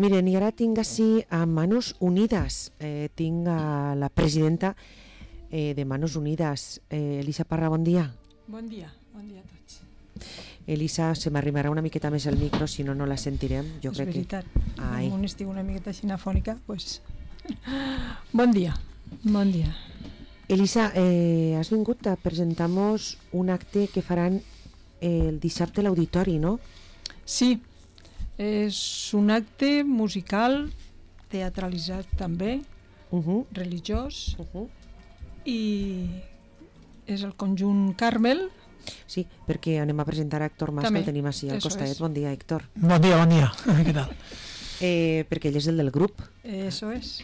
Miren, i ara tinc així a Manos Unides, tinc a la presidenta de Manos Unides, Elisa Parra, bon dia. Bon dia a tots. Elisa, se m'arribarà una miqueta més el micro, si no, no la sentirem. És veritat, com estic una miqueta xinafònica, doncs... Bon dia. Elisa, has vingut a presentar-nos un acte que faran el dissabte a l'auditori, no? Sí, és un acte musical, teatralitzat també, religiós, i és el conjunt Carmel. Sí, perquè anem a presentar a Héctor Mas, que el tenim així al costat. Bon dia, Héctor. Bon dia, què tal? Perquè ell és el del grup. Eso és.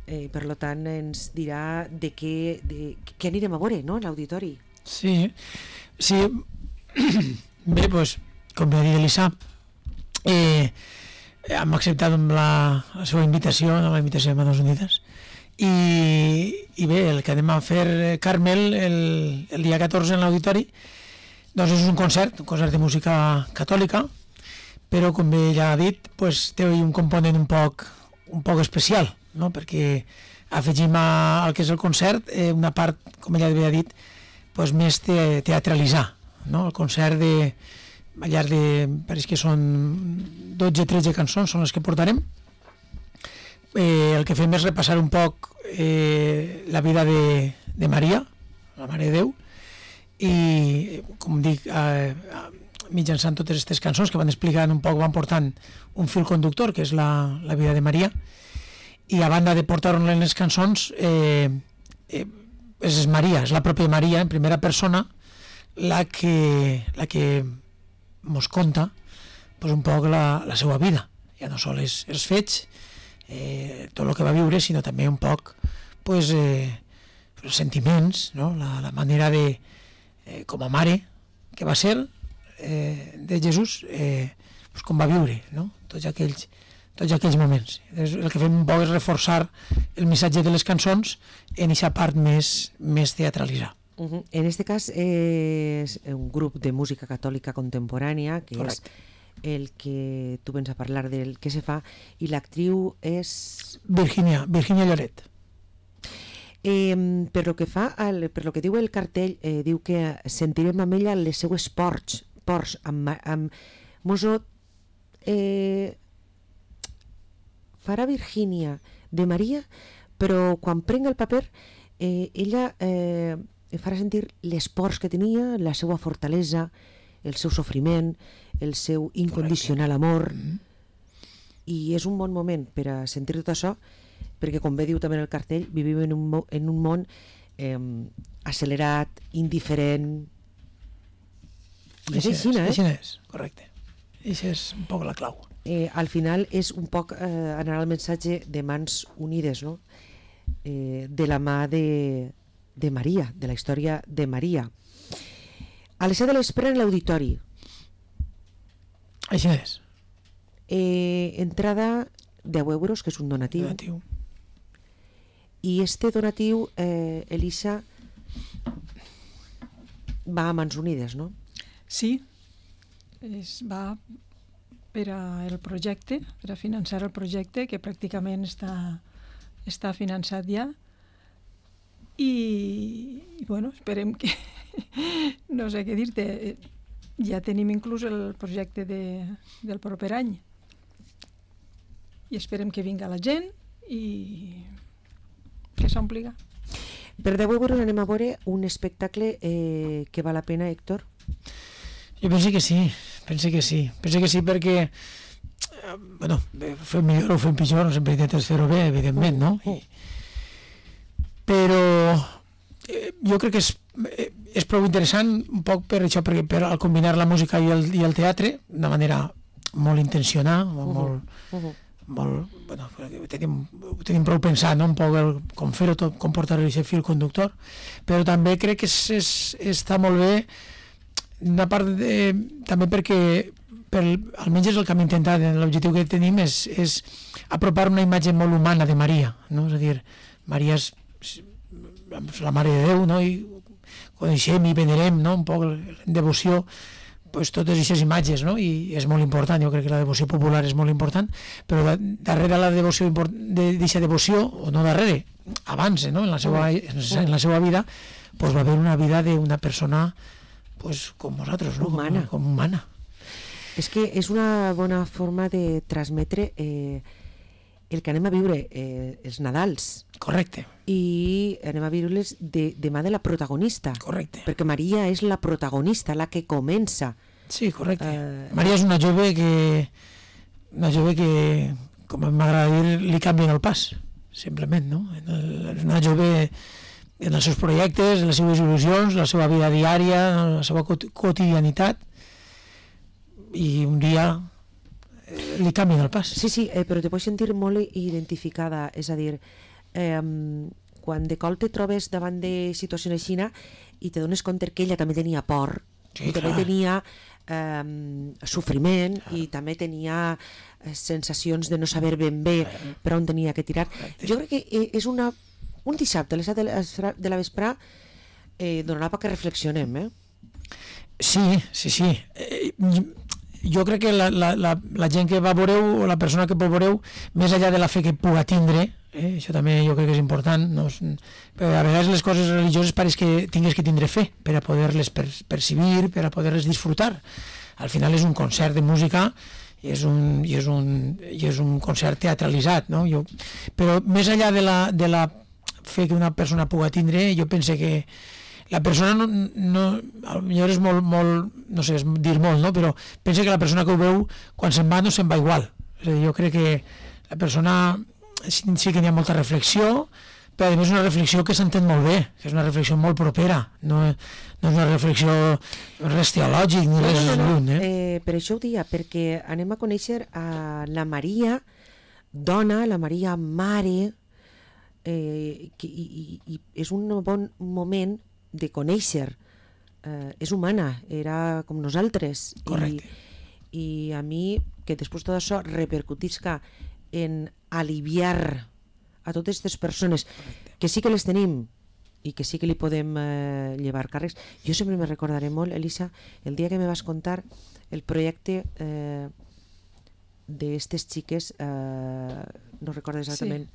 Per tant, ens dirà de què anirem a veure, no?, a l'auditori. Sí. Bé, doncs, com va dir Elisa, hem acceptat la seva invitació, la invitació de Manos Unides, i bé, el que anem a fer, Carmel, el dia 14 en l'auditori, doncs és un concert de música catòlica, però com bé ja ha dit, té un component un poc especial, no? Perquè afegim al que és el concert una part, com ella havia dit, més teatralitzar, no? El concert al llarg pareix que són 12-13 cançons, són les que portarem. El que fem és repassar un poc la vida de Maria, la Mare de Déu, i, com dic, mitjançant totes aquestes cançons que van explicant un poc, van portant un fil conductor, que és la vida de Maria, i a banda de portar-ho en les cançons, és Maria, és la pròpia Maria, en primera persona, la que mos conta un poc la seva vida, ja no sols els fets, tot el que va viure, sinó també un poc els sentiments, no? La manera de, com a mare que va ser de Jesús, com va viure, no? Tots aquells moments. El que fem un poc és reforçar el missatge de les cançons en aquesta part més teatralitzada. En aquest cas és un grup de música catòlica contemporània, que Correcte. És el que tu vens a parlar del que se fa, i l'actriu és... Virginia Lloret. Per lo que diu el cartell, diu que sentirem amb ella les seues ports mosso farà Virgínia de Maria, però quan prenga el paper ella farà sentir les pors que tenia, la seva fortalesa, el seu sofriment, el seu incondicional amor. I és un bon moment per a sentir tot això, perquè, com bé diu també el cartell, vivim en un món accelerat, indiferent. I és així, Així és, correcte. Això és un poc la clau. Al final és un poc anar al missatge de Mans Unides, no? De la mà de Maria, de la història de Maria. A les 7 de l'espera en l'auditori. Així és. Entrada 10 euros, que és un donatiu. I este donatiu, Elisa, va a Mans Unides, no? Sí, va per al projecte, per a finançar el projecte, que pràcticament està finançat ja, i bueno, esperem que no sé què dir-te, ja tenim inclús el projecte del proper any i esperem que vinga la gent i que s'ompliga. Per 10 euros anem a veure un espectacle que val la pena, Héctor? Jo penso que sí perquè fem millor o fem pitjor, no sempre intentes fer-ho bé, evidentment, no? Però jo crec que és prou interessant un poc per això, perquè al combinar la música i el teatre d'una manera molt intencionada, ho tenim prou pensat, no? Un poc com fer-ho tot, com portar-ho aquest fil conductor, però també crec que està molt bé una part també perquè almenys és el que hem intentat, l'objectiu que tenim és apropar una imatge molt humana de Maria, no? És a dir, Maria és la Mare de Déu, no? I coneixem i venerem, no? Un poc en devoció pues, totes aquestes imatges, no? I és molt important, jo crec que la devoció popular és molt important, però darrere la devoció d'aquesta devoció, o no darrere, abans, no? en la seva vida, pues, va haver una vida d'una persona pues, com vosaltres, no? Humana. Com humana. És que és una bona forma de transmetre el que anem a viure els Nadals. Correcte. I anem a viure-les de mà de la protagonista. Correcte. Perquè Maria és la protagonista, la que comença. Sí, correcte. Maria és una jove que, com m'agrada dir, li canvien el pas, simplement, no? És una jove en els seus projectes, en les seves il·lusions, la seva vida diària, la seva quotidianitat, i un dia li canvien el pas. Sí, però te pots sentir molt identificada, és a dir, quan de cop te trobes davant de situacions així i te dones compte que ella també tenia por, sí, i també tenia sofriment, i també tenia sensacions de no saber ben bé per on tenia que tirar. Jo crec que és un dissabte a les 7 de la vesprà donarà perquè reflexionem, Sí. Jo crec que la gent que va veureu, o la persona que veureu, més enllà de la fe que puga tindre, això també jo crec que és important, no? A vegades les coses religioses pareix que tingues que tindre fe per a poder-les percibir, per a poder-les disfrutar. Al final és un concert de música i és un concert teatralitzat, no? Però més enllà de la fe que una persona puga tindre, jo pense que la persona potser és molt, no sé, és dir molt, no? Però pensa que la persona que ho veu, quan se'n va, no se'n va igual. És a dir, jo crec que la persona sí que hi ha molta reflexió, però a més una reflexió que s'entén molt bé, que és una reflexió molt propera, no és una reflexió res teològic ni res lluny. Per això ho dia, perquè anem a conèixer a la Maria dona, la Maria mare, i és un bon moment de conèixer. És humana, era com nosaltres. Correcte. I a mi, que després tot això repercutisca en aliviar a totes aquestes persones que sí que les tenim i que sí que li podem llevar càrrecs. Jo sempre me recordaré molt, Elisa, el dia que me vas contar el projecte d'estes xiques, no recordo exactament,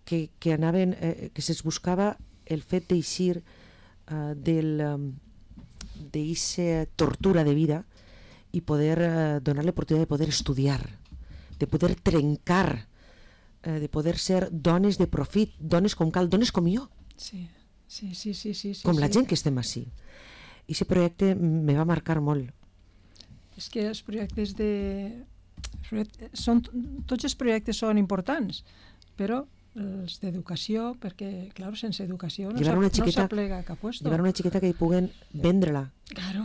sí, que anaven, que se'ls buscava el fet d'eixir d'eixa tortura de vida i poder donar l'oportunitat de poder estudiar, de poder trencar, de poder ser dones de profit, dones com cal, dones com jo. Sí. Com la gent que estem així. I aquest projecte me va marcar molt. És que els projectes tots els projectes són importants, però els d'educació, perquè, clar, sense educació no s'aplega a cap puesto. Llevar una xiqueta que hi puguen vendre-la, claro,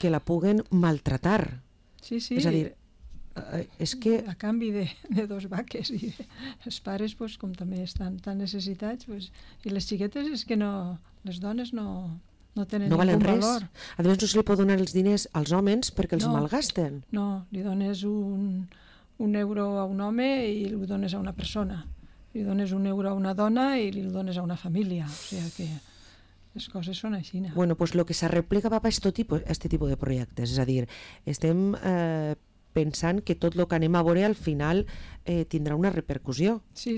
que la puguen maltratar. Sí. És a dir, és que... A canvi de dos vaques, i els pares, pues, com també estan tan necessitats, pues, i les xiquetes és que no, les dones no tenen no valen ningú res. valor. A més, no se li pot donar els diners als homes perquè els malgasten. No, li dones un euro a un home i li dones a una persona. Li dones un euro a una dona i li dones a una família. O sigui que les coses són així. Bueno, pues lo que s'arreplega va per aquest tipus de projectes. És a dir, estem pensant que tot el que anem a veure al final tindrà una repercussió. Sí.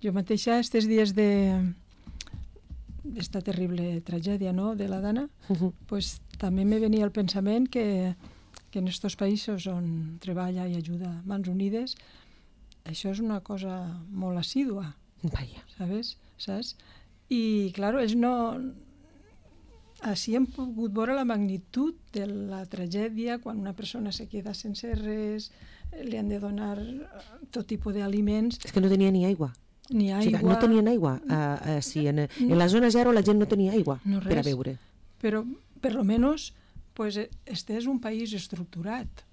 Jo mateixa, aquests dies d'esta terrible tragèdia, no?, de la Dana, pues, també me venia el pensament que en aquests països on treballa i ajuda Mans Unides, això és una cosa molt assídua. Vaya. Saps? I, clar, ells no... Així hem pogut veure la magnitud de la tragèdia quan una persona se queda sense res, li han de donar tot tipus d'aliments. És que no tenia ni aigua. Ni aigua. O sigui, no tenien aigua. En la zona zero la gent no tenia aigua per a beure. Però, per lo menos, pues, este és un país estructurat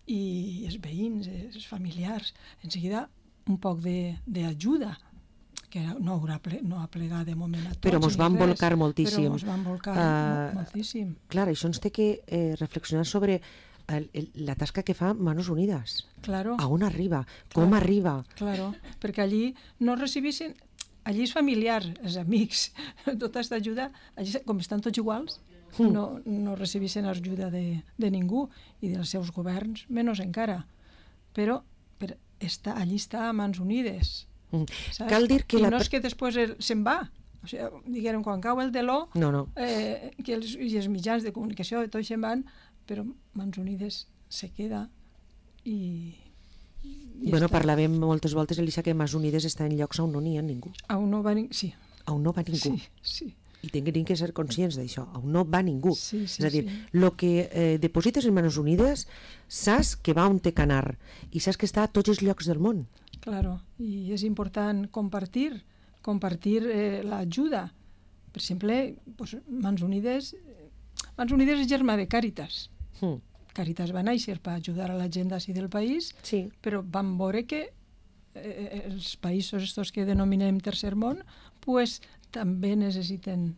i els veïns, els familiars, en seguida un poc d'ajuda, que no ha plegat de moment a tots. Però ens van volcar moltíssim. Però ens van volcar moltíssim. Clar, això ens té que reflexionar sobre la tasca que fa Manos Unides. Claro. A on arriba? Com arriba? Claro, perquè allí no recibissin... Allí és familiar, els amics, tota aquesta ajuda, allí, com estan tots iguals, no recebissin ajuda de ningú i dels seus governs, menys encara. Però allí està a mans unides. Saps? Cal dir que I no és que després se'n va. O sigui, diguem, quan cau el teló, que els mitjans de comunicació i tot se'n van, però Mans Unides se queda i bueno, parlàvem moltes voltes, Elisa, que Mans Unides està en llocs on no n'hi ha ningú. On no va ningú, sí. On no va ningú. Sí. I tenim que ser conscients d'això, on no va ningú. Sí, és a dir, el que deposites en Mans Unides, saps que va on té que anar i saps que està a tots els llocs del món. Claro, i és important compartir l'ajuda. Per exemple, Mans Unides és germà de Càritas. Càritas va néixer per ajudar a la gent d'ací del país, però van veure que els països estos que denominem tercer món pues, també necessiten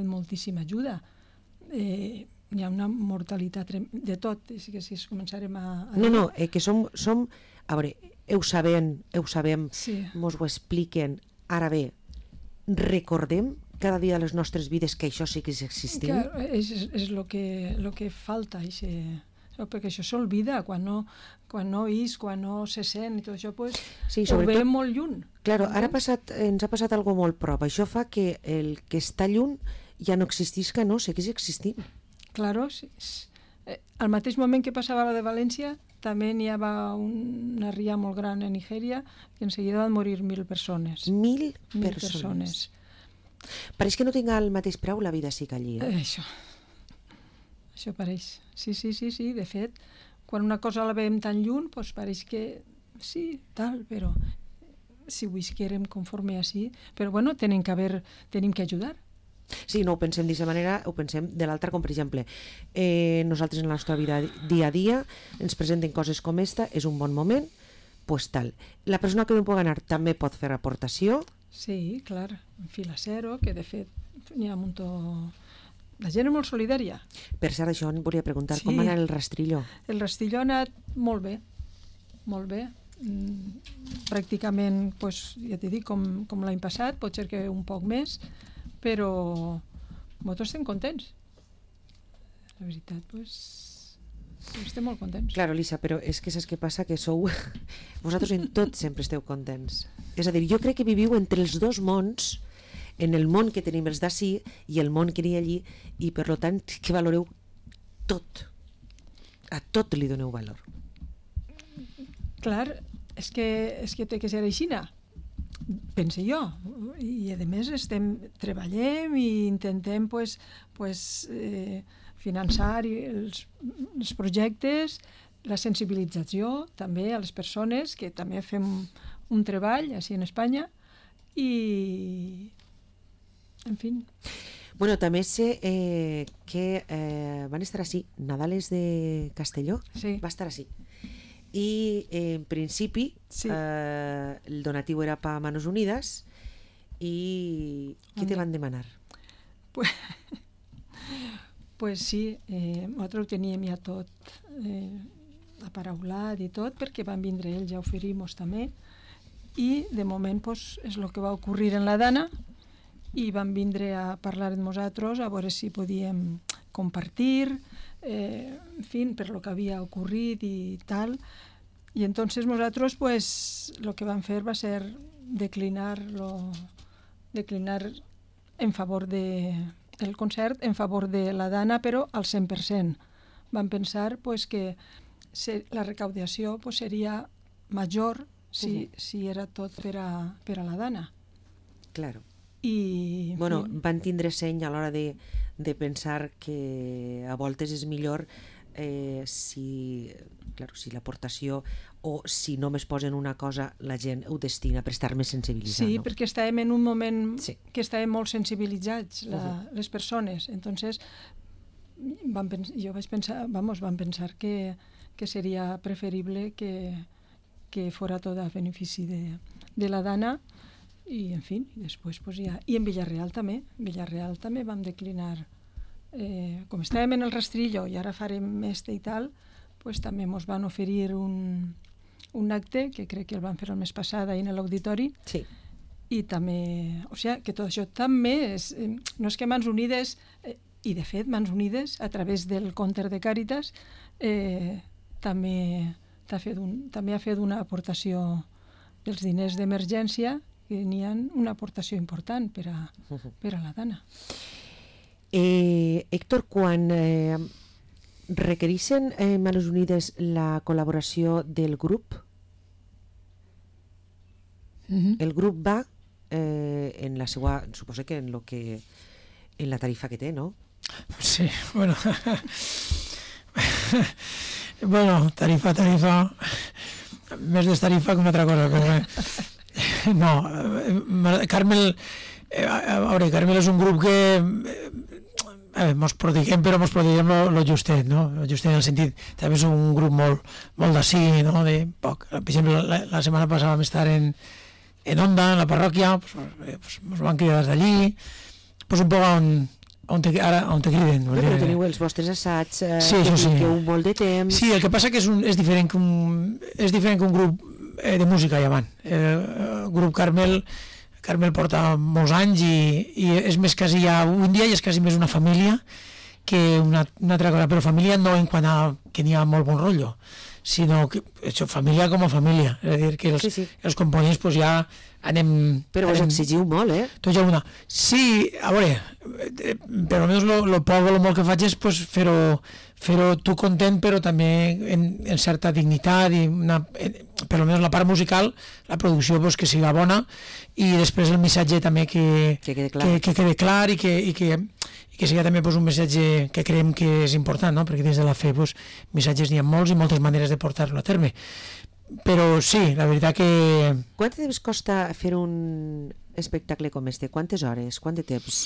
moltíssima ajuda. Hi ha una mortalitat de tot, és que si començarem a... No, que som... A veure, ho sabem, mos ho expliquen. Ara bé, recordem cada dia de les nostres vides que això sí que és existint. Clar, és lo que falta, perquè això s'olvida quan no és, quan no se sent i tot això, pues, ho veiem molt lluny. Claro, ara ens ha passat algo molt prop. Això fa que el que està lluny ja no existisca, no, segueix existint. Claro, sí. Al mateix moment que passava la de València, també n'hi havia una ria molt gran a Nigèria que en seguida van morir 1.000 persones. 1.000 persones. Pareix que no tinga el mateix preu la vida sí que allí. Això pareix. Sí. De fet, quan una cosa la veiem tan lluny, doncs pareix que sí, tal, però si ho visquérem conforme així, però bueno, tenim que ajudar. Sí, no ho pensem d'aquesta manera, ho pensem de l'altra, com per exemple, nosaltres en la nostra vida dia a dia ens presenten coses com esta, és un bon moment, pues tal. La persona que no pot anar també pot fer aportació. Sí, clar, en Fila Cero, que de fet n'hi ha un muntó... La gent és molt solidària. Per cert, això em volia preguntar, com va anar el rastrillo? El rastrillo ha anat molt bé, molt bé. Pràcticament, pues, ja t'he dit, com l'any passat, pot ser que un poc més, però nosaltres estem contents. La veritat, pues, estem molt contents. Claro, Elisa, però és que saps què passa? Que sou... Vosaltres en tot sempre esteu contents. És a dir, jo crec que viviu entre els dos mons, en el món que tenim els d'ací i el món que n'hi ha allí, i per tant que valoreu tot. A tot li doneu valor. Clar, és que té que ser així, pense jo. I a més treballem i intentem finançar els projectes, la sensibilització també a les persones, que també fem un treball així en Espanya, i en fi. Bueno, també sé que van estar així, Nadales de Castelló, va estar així. I en principi el donatiu era per Manos Unides i què te van demanar? Pues sí, nosaltres ho teníem ja tot aparaulat i tot, perquè van vindre ells a oferir-nos també, i de moment és el que va ocorrir en la Dana, i van vindre a parlar amb nosaltres a veure si podíem compartir, en fi, per lo que havia ocorrit i tal. I entonces nosaltres el que vam fer va ser declinar en favor del concert, en favor de la Dana, però al 100%. Vam pensar que la recaudació seria major si era tot per a la Dana. Claro. I bueno, van tindre seny a l'hora de pensar que a voltes és millor si l'aportació o si només posen una cosa la gent ho destina per estar més sensibilitzat. Sí, perquè estàvem en un moment que estàvem molt sensibilitzats les persones, entonces vam pensar que seria preferible que fora tot a benefici de la Dana. I, en fi, després ja... I en Villarreal també vam declinar. Com estàvem en el rastrillo i ara farem este i tal, també ens van oferir un acte, que crec que el van fer el mes passat ahir en l'auditori, i també... O sigui, que tot això també és... No és que Mans Unides I, de fet, Mans Unides, a través del Compte de Càritas, també ha fet una aportació dels diners d'emergència, que n'hi ha una aportació important per a la dona. Héctor, quan requereixen Mans Unides la col·laboració del grup, el grup va en la seva, suposo que en la tarifa que té, no? Sí, bueno, tarifa, més d'estarifa que una altra cosa, però no, Carmel, Carmel és un grup que mos prodiguem, però mos prodiguem lo justet, no? Lo justet en el sentit, també és un grup molt d'ací, no? De poc. Per exemple, la setmana passada vam estar en Onda, en la parròquia, pues mos van cridar des d'allí, pues un poc on te criden. Però teniu els vostres assaigs sí, que dediqueu molt de temps. Sí, el que passa que és diferent que un grup de música llevant. El grup Carmel porta molts anys i és més quasi ja, un dia és quasi més una família que una altra cosa, però família no en quant a que n'hi ha molt bon rotllo, sinó que família com a família, és a dir, que els components pues, ja anem... Però us exigiu molt, Tots ja una. Sí, a veure, per almenys lo poc o lo molt que faig és pues, fer-ho tu content, però també en certa dignitat, i per almenys la part musical, la producció pues, que siga bona, i després el missatge també que quede clar i que sigui també pues, un missatge que creiem que és important, no? Perquè dins de la fe pues, missatges n'hi ha molts i moltes maneres de portar-lo a terme. Però sí, la veritat que... Quant de temps costa fer un espectacle com este? Quantes hores? Quant de temps?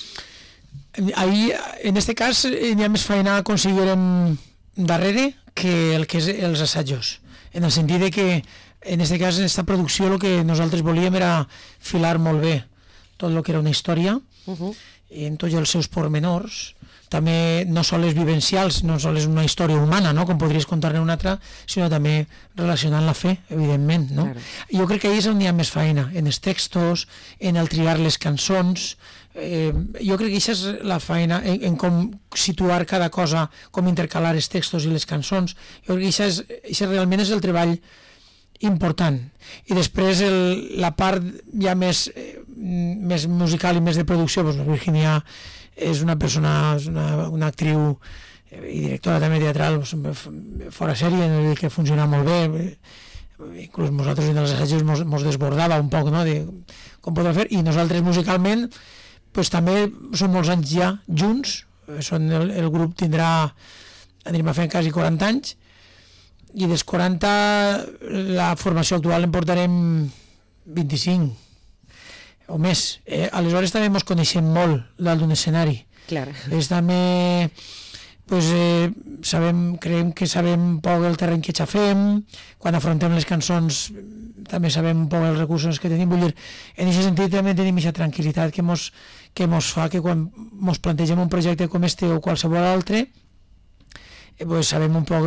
Ahí, en este cas, n'hi ha més feina a aconseguirem darrere que el que és els assajos. En el sentit de que, en este cas, en esta producció, el que nosaltres volíem era filar molt bé tot el que era una història, i en tots els seus pormenors, també no sols vivencials, no sols una història humana, no? Com podries contar-ne una altra, sinó també relacionant la fe, evidentment, no? Claro. Jo crec que ahí és on hi ha més feina, en els textos, en el triar les cançons. Jo crec que això és la feina, en com situar cada cosa, com intercalar els textos i les cançons. Jo crec que això realment és el treball important. I després la part ja més musical i més de producció, doncs la Virginia és una persona, una actriu i directora també teatral fora sèrie, que funciona molt bé, inclús nosaltres en els assajos mos desbordava un poc, no?, de com podrà fer, i nosaltres musicalment pues, també som molts anys ja junts, el grup anirem a fer quasi 40 anys, i dels 40 la formació actual en portarem 25 o més. Aleshores també ens coneixem molt dalt d'un escenari. Clar. També pues, creiem que sabem un poc el terreny que xafem, quan afrontem les cançons també sabem un poc els recursos que tenim. Vull dir, en aquest sentit també tenim aquesta tranquil·litat que mos fa que quan mos plantegem un projecte com este o qualsevol altre, pues sabem un poc,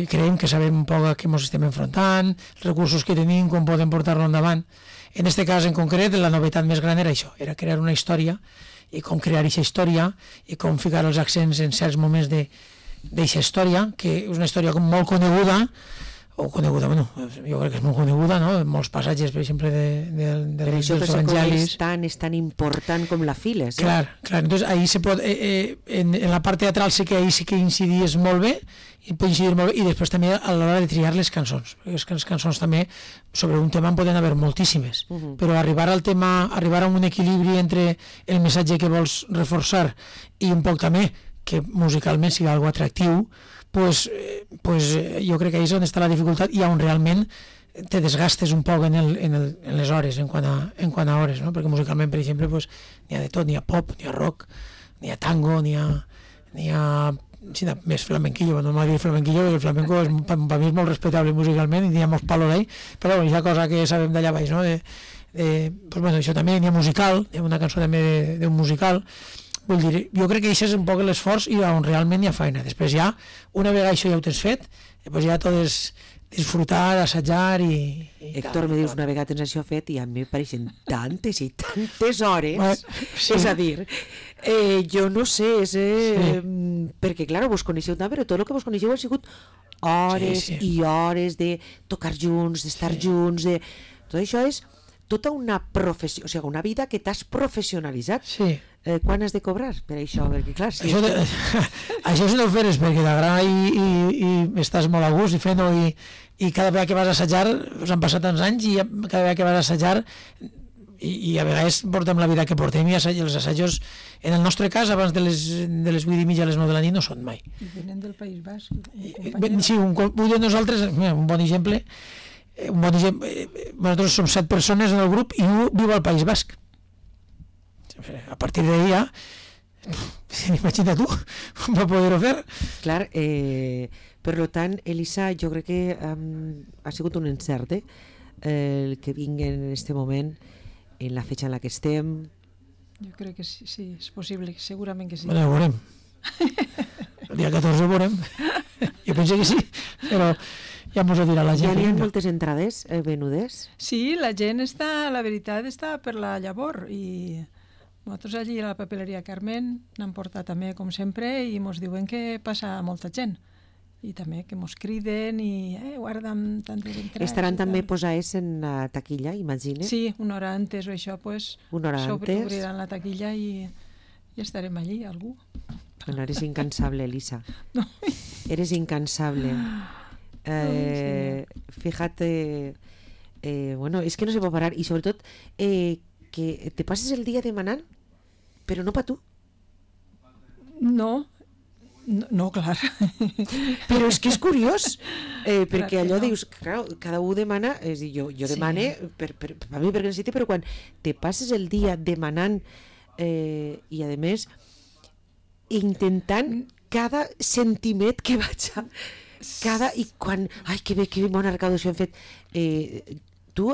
creiem que sabem un poc a què ens estem enfrontant, els recursos que tenim, com podem portar-lo endavant. En aquest cas en concret, la novetat més gran era això, era crear una història, i com crear aquesta història, i com ficar els accents en certs moments d'aquesta història, que és una història molt coneguda, bueno, jo crec que és molt coneguda, no? Molts passatges, per exemple, dels evangelis. És tan important com la files. Clar, entonces ahí se pot, en la part teatral sí que ahí sí que incidies molt bé, i després també a l'hora de triar les cançons, perquè les cançons també sobre un tema en poden haver moltíssimes, però arribar a un equilibri entre el missatge que vols reforçar i un poc també que musicalment sigui algo atractiu, pues jo crec que ahí és on està la dificultat i on realment te desgastes un poc en les hores, en quant a hores, no? Perquè musicalment, per exemple, pues, n'hi ha de tot, n'hi ha pop, n'hi ha rock, n'hi ha tango, n'hi ha més flamenquillo. No m'ha dit flamenquillo, perquè el flamenco per mi és molt respectable musicalment i n'hi ha molts palos ahí, però hi ha cosa que sabem d'allà baix, no? Pues bueno, això també n'hi ha musical, hi ha una cançó també d'un musical. Vull dir, jo crec que això és un poc l'esforç i on realment hi ha feina. Després ja, una vegada això ja ho tens fet, després ja tot és disfrutar, assajar i Héctor, me dius, una vegada tens això fet i a mi me pareixen tantes i tantes hores. Sí. És a dir, Jo no sé, perquè, clar, vos coneixeu tant, però tot el que vos coneixeu ha sigut hores i hores de tocar junts, d'estar junts, tot això és tota una professió, o sigui, una vida que t'has professionalitzat. Sí. Quan has de cobrar per això? Perquè, clar, si això si no ho feres perquè t'agrada i estàs molt a gust i fent-ho i cada vegada que vas a assajar, us han passat tants anys i cada vegada que vas a assajar i a vegades portem la vida que portem i els assajos, en el nostre cas, abans de les 8:30 a les 9 de la nit no són mai. I venen del País Basc. Sí, un de nosaltres, un bon exemple, nosaltres som 7 persones en el grup i un viu al País Basc. A partir d'ahí ja, imagina tu, va poder-ho fer. Clar, per tant, Elisa, jo crec que ha sigut un encert, el que vinguen en este moment, en la fetge en la que estem. Jo crec que sí, és possible, segurament que sí. Bueno, ho veurem. El dia 14 ho veurem. Jo penso que sí, però ja mos ho dirà la gent. Ja n'hi ha moltes entrades venudes? Sí, la gent està, la veritat, està per la llavor i nosaltres allí a la papeleria Carmen n'han portat també, com sempre, i mos diuen que passa molta gent. I també que mos criden i guarda'm tantes entrades. Estaran també posades en la taquilla, imagine? Sí, una hora antes o això, pues, una hora antes obriran la taquilla i estarem allí, algú. Bueno, eres incansable, Elisa. No. Eres incansable. Fíjate, bueno, es que no se puede parar y sobre todo que te pases el día demanant, però no pa tu. No, clar. Però és que és curiós, perquè allò dius, clar, cada un demana, és a dir, jo demane per mi perquè necessite, però quan te passes el dia demanant i a més intentant cada centímet que vaig a i quan, ai que bé, que bona recaudació hem fet, tu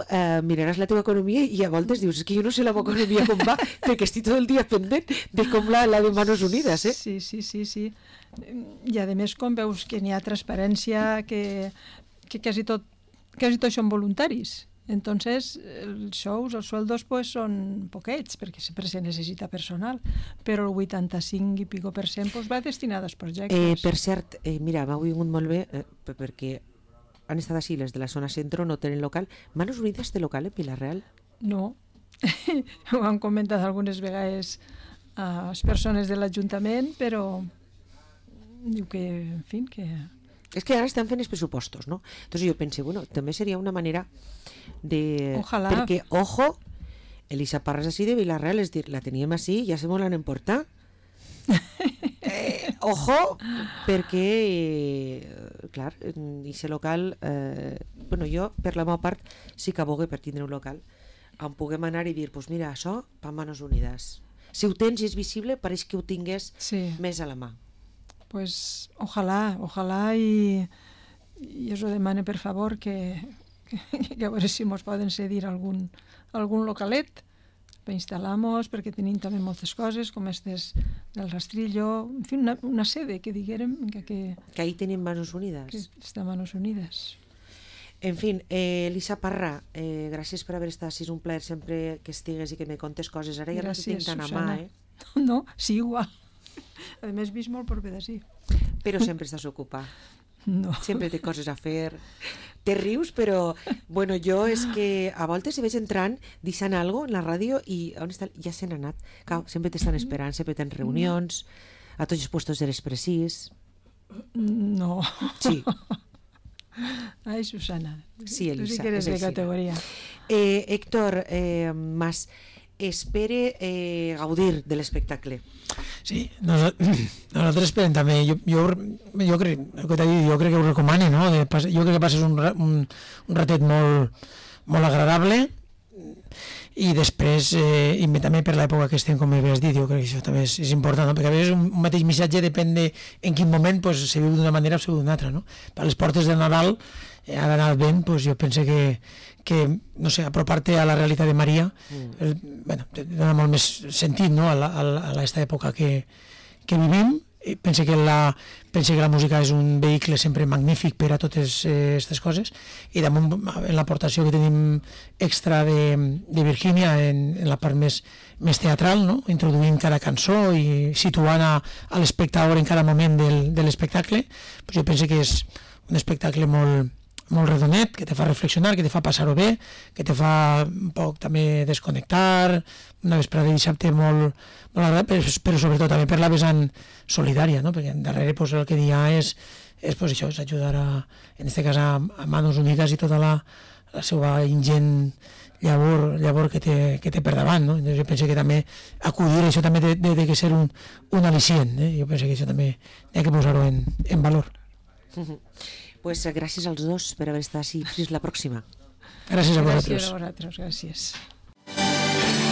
miraràs la teva economia i a voltes dius, és que jo no sé la meva economia com va, perquè estic tot el dia pendent de com la de Manos Unides, Sí. I a més, com veus que n'hi ha transparència, que quasi tot són voluntaris. Entonces, els sous, els sueldos, pues, són poquets, perquè sempre se necessita personal, però el 85 i pico % pues, va destinat als projectes. Per cert, mira, m'ha vingut molt bé, perquè han estat així, les de la zona centro no tenen local. Manos Unides té local en Vila-real? No, ho han comentat algunes vegades a les persones de l'Ajuntament, però diu que, en fi, que... És que ara estan fent els pressupostos, no? Entonces jo pense, bueno, també seria una manera de... Ojalà. Perquè, ojo, Elisa Parra és així de Vila-real, és dir, la teníem així, ja se mos l'han emportat. Ojo, perquè, clar, aquest local, bueno, jo, per la meva part, sí que abogue per tindre un local on puguem anar i dir, pues mira, això, per Manos Unides. Si ho tens i és visible, pareix que ho tingués més a la mà. Pues ojalà i us ho demane per favor que a veure si mos poden cedir algun localet per instal·lar-nos, perquè tenim també moltes coses com estes del rastrillo, en fi, una sede que diguérem que ahí tenim Manos Unides. Que està Manos Unides. En fi, Elisa Parra, gràcies per haver estat, és un plaer sempre que estigues i que me contes coses. Ara ja no t'ho tinc tan a mà, No, sí, igual. A més, vist molt per d'ací. Però sempre estàs ocupat. No. Sempre té coses a fer. Te rius, però bueno, jo és que a voltes hi veig entrant, deixant alguna cosa en la ràdio i on està? Ja se n'ha anat. Clar, sempre t'estan esperant, sempre tens reunions, a tots els puestos eres precís. No. Sí. Ai, Susana. Sí, Elisa. Tu sí que eres de categoria. Héctor Mas, espere gaudir de l'espectacle. Sí, nosaltres esperem també. Jo crec que ho recomano, no? Jo crec que passes un ratet molt agradable i després, i també per l'època que estem, com havies dit, jo crec que això també és important, no? Perquè a vegades un mateix missatge depèn de en quin moment pues, se viu d'una manera o se viu d'una altra, no? Per les portes de Nadal ha d'anar ben, pues, jo penso que no sé, apropar-te a la realitat de Maria bueno, te dona molt més sentit, no? a aquesta època que vivim pense que la música és un vehicle sempre magnífic per a totes aquestes coses, i damunt en l'aportació que tenim extra de Virgínia en la part més teatral, no? Introduint cada cançó i situant a l'espectador en cada moment de l'espectacle, pues jo penso que és un espectacle molt redonet, que te fa reflexionar, que te fa passar-ho bé, que te fa un poc també desconnectar, una vesprada de dissabte molt agradable, però sobretot també per la vessant solidària, no? Perquè darrere pues, el que hi ha és pues, això, és ajudar en aquest cas a Manos Unides i tota la seva ingent llavor que té per davant, no? Jo penso que també acudir això també té que ser un al·licient, jo penso que això també hi ha que posar-ho en valor. Pues gràcies als dos per haver estat així. Fins la pròxima. Gràcies a vosaltres. Gràcies a vosaltres, gràcies.